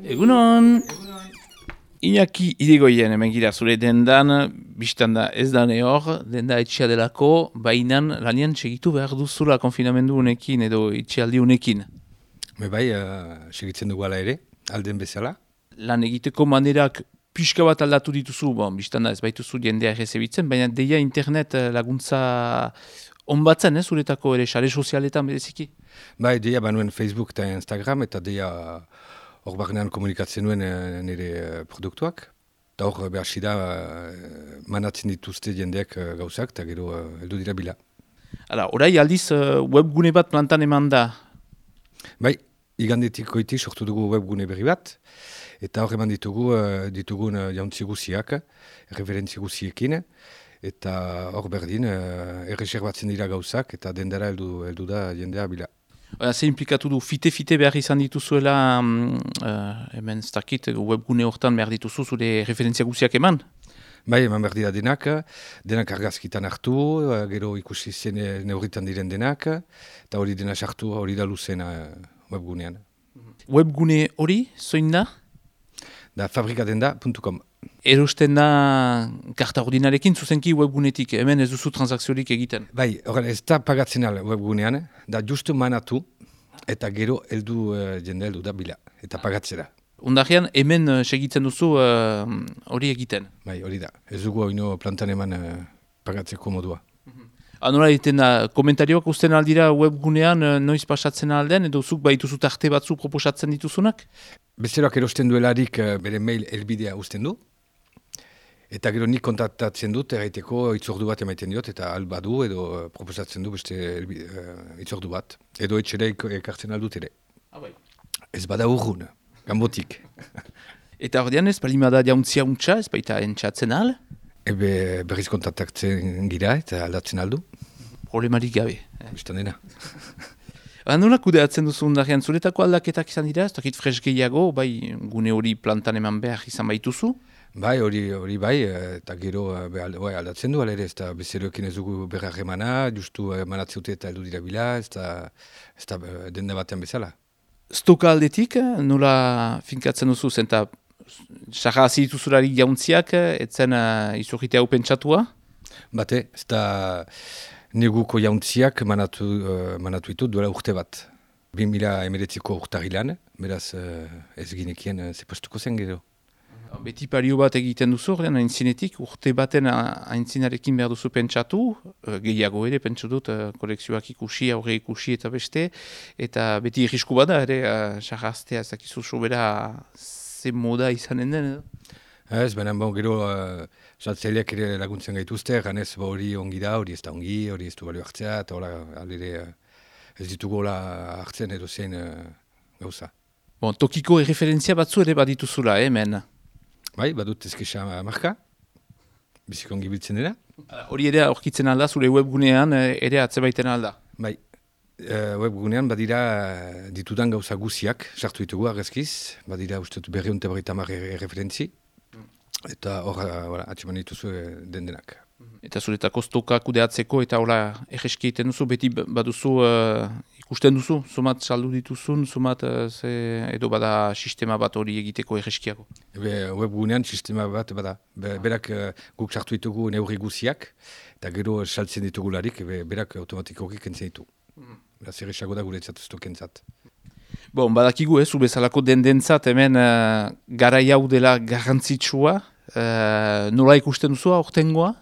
Egunon! Iñaki Irigoyen hemen gira zure dendan, biztan da ez da hor, denda etxea delako, bainan lanian segitu behar duzula konfinamendu unekin edo etxealdi unekin. Bai, segitzen dugu ala ere, alden bezala. Lan egiteko manerak pixka bat aldatu dituzu, biztan da ez baituzu jendea errezebitzen, baina deia internet laguntza onbatzen, zuretako ere sare sozialetan bereziki? Bai, deia banuen Facebook eta Instagram, eta deia hor barnean komunikatzen nuen nire produktuak. Eta hor behar da manatzen dituzte jendeak gauzak, eta gero heldu dira bila. Hala, orai aldiz webgune bat plantan eman da? Bai, igandetik goiti sortu dugu webgune berri bat, eta hor eman ditugun jauntzi guziak, referentzi guziekin, eta hor berdin erreserbatzen dira gauzak, eta dendara heldu da jendea bila. Ze implikatu du, fite behar izan dituzuela, hemen starkit webgune hortan behar dituzu zure referentzia guziak eman? Bai, eman behar dira denak argazkitan hartu, gero ikusi zen neurritan diren denak, eta hori dena sartu, hori da luzena webgunean. Webgune hori, zoin da? Da fabrikadenda.com. Erosten da karta ordinarekin zuzenki webgunetik, hemen ez duzu transakziorik egiten? Bai, horren ez da pagatzen al webgunean, da justu manatu, eta gero jende heldu da bila, eta pagatzera. Ondarean, hemen segitzen duzu hori egiten? Bai, hori da. Ez dugu hori plantan eman pagatzeko modua. Nola egiten da, komentarioak usten aldira webgunean noiz pasatzen alden, edo zuk baituzu tarte batzu proposatzen dituzunak? Bezeroak erosten duelarik bere mail helbidea usten du, eta gero nik kontaktatzen dut, erraiteko itzordu bat emaiten diot, eta albadu edo proposatzen du beste itzordu bat, edo etxera ekartzen aldut ere. Ez bada urrun. Gambotik. Eta ordean ez, balimada jauntzia untxa, ez baita entxatzen al? Ebe berriz kontaktatzen gira eta aldatzen aldu. Problemarik gabe. Bistan dena. Nola kudeatzen duzu ondarean, zuretako aldaketak izan dira, ez dakit fresh gehiago, bai gune hori plantan eman behar izan baituzu? Bai, hori bai, eta gero aldatzen du, alere, ez da bezeroekin ez dugu berra remana, justu manatzute eta heldu dira bila, ez da denda batean bezala. Stoka aldetik, nola finkatzen duzu zen, eta sarra hasi dituzularik jauntziak, etzen izurrite hau pentsatua? Bate, ez da neguko jauntziak manatu ditu duela urte bat. 2019ko urtarilan, beraz ez ginekien zepostuko zen gero. Beti pario bat egiten duzu, aintzinetik, urte baten aintzinarekin behar duzu pentsatu, gehiago ere, pentsu dut, kolekzioak ikusi, aurre ikusi eta beste, eta beti irrisku bada ere, sarraztea, ezakizu sobera ze moda izanen den, edo? Ez, baina gero saltzaileak ere laguntzen gaituzte, ganez hori ongi da, hori ez da ongi, hori ez du balio hartzea, eta hola, alire ez ditugu hola hartzen edo zein gauza. Tokiko erreferentzia batzu ere badituzula, hemen? Bai, badut ezkesa marka, biziko ongi biltzen dira. Hori ere aurkitzen alda, zure webgunean ere atzebaiten alda? Bai, webgunean badira ditudan gauza guziak, sartu ditugu argazkiz, badira uste dut 250 erreferentzi, eta hor atseman dituzu dendenak. Eta zuretako stoka kudeatzeko eta hola erreski egiten duzu, beti baduzu ikusten duzu, somat saldu dituzun, somat edo bada sistema bat hori egiteko erreskiago? Webgunean sistema bat bada, berak guk sartu ditugu neurri guziak, eta gero saltzen ditugularik, berak automatikoki kentzen ditu. Beraz erresago da guretzat stokentzat. Badakigu zu bezalako dendentzat hemen garai hau dela garrantzitsua, nola ikusten duzu aurtengoa?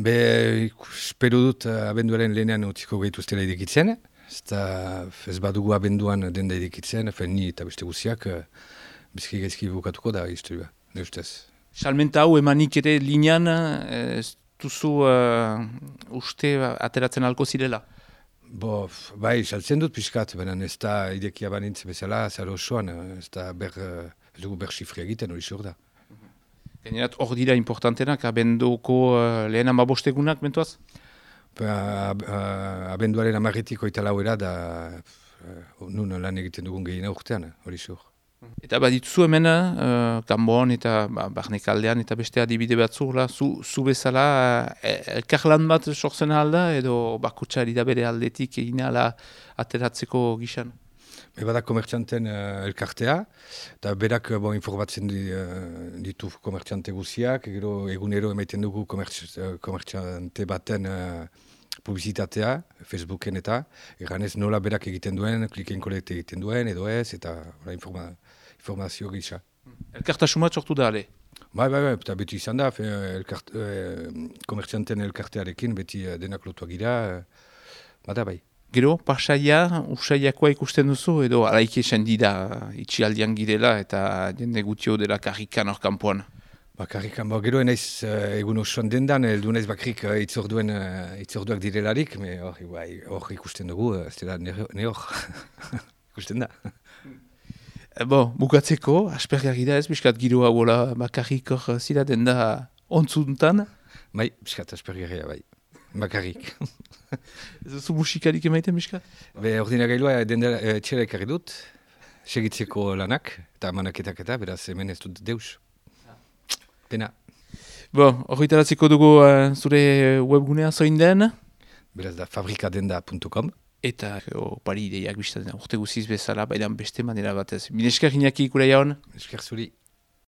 Espero dut abenduaren lehenean utziko gehituztela idikitzen, ez badugu abenduan denda idikitzen, ni eta beste guziak bizki gaizki bukatuko da historia, ne ustez. Salmenta hau emanik ere linean ez duzu uste ateratzen alko zirela? Bai, saltzen dut pixkat, baina ez da idekia banintz bezala, zara osoan, ez dugu ber xifri egiten hori xor da. Gainerat hor dira importantenak, abenduko lehen amabostegunak, mentuaz? Abenduaren amarretiko eta lauera da nun lan egiten dugun gehiena urtean, hori xor. Eta badituzu hemen, Kanbon eta Barnekaldean eta beste adibide batzu, zu bezala elkarlan bat sortzen alda edo bakutsari da bere aldetik egin ala ateratzeko gizan? Bada komertxanten elkartea, eta berak informatzen ditu komertxante guziak, gero egunero emaiten dugu komertxante baten publizitatea, Facebooken eta, eganez nola berak egiten duen, kliken kolekte egiten duen, edo ez, eta informazio gisa. Elkartasuma sortu da, ale? Bai, eta beti izan da, komertxanten elkartearekin, beti denak lotuak gira, bada bai. Gero, pasaia, usaiakoa ikusten duzu, edo alaik esan dida itxialdian girela eta jende gutio dela karrikan hor kanpoan? Karrikan, gero enaiz egun osoan dendan, eldu naiz bakrik itzorduak direlarik, hor ikusten dugu, ez dela ne hor ikusten da. Bukatzeko, aspergarri da ez, biskat giro hauola bakarrik hor zira den da ontzuntan? Bai, biskat aspergarria bai. Bakarrik. Ez duzu musikarik emaiten, biskat? Ordinagailua txera ekarri dut, segitzeko lanak, eta manaketak eta, beraz hemen ez dut deus. Pena. Horretaratzeko dugu zure webgunea zoin den? Beraz da fabrikadenda.com. Eta opari ideiak biztaten urte guziz bezala, baidan beste manera batez. Mineskar inaki ikura jaun? Esker zuri.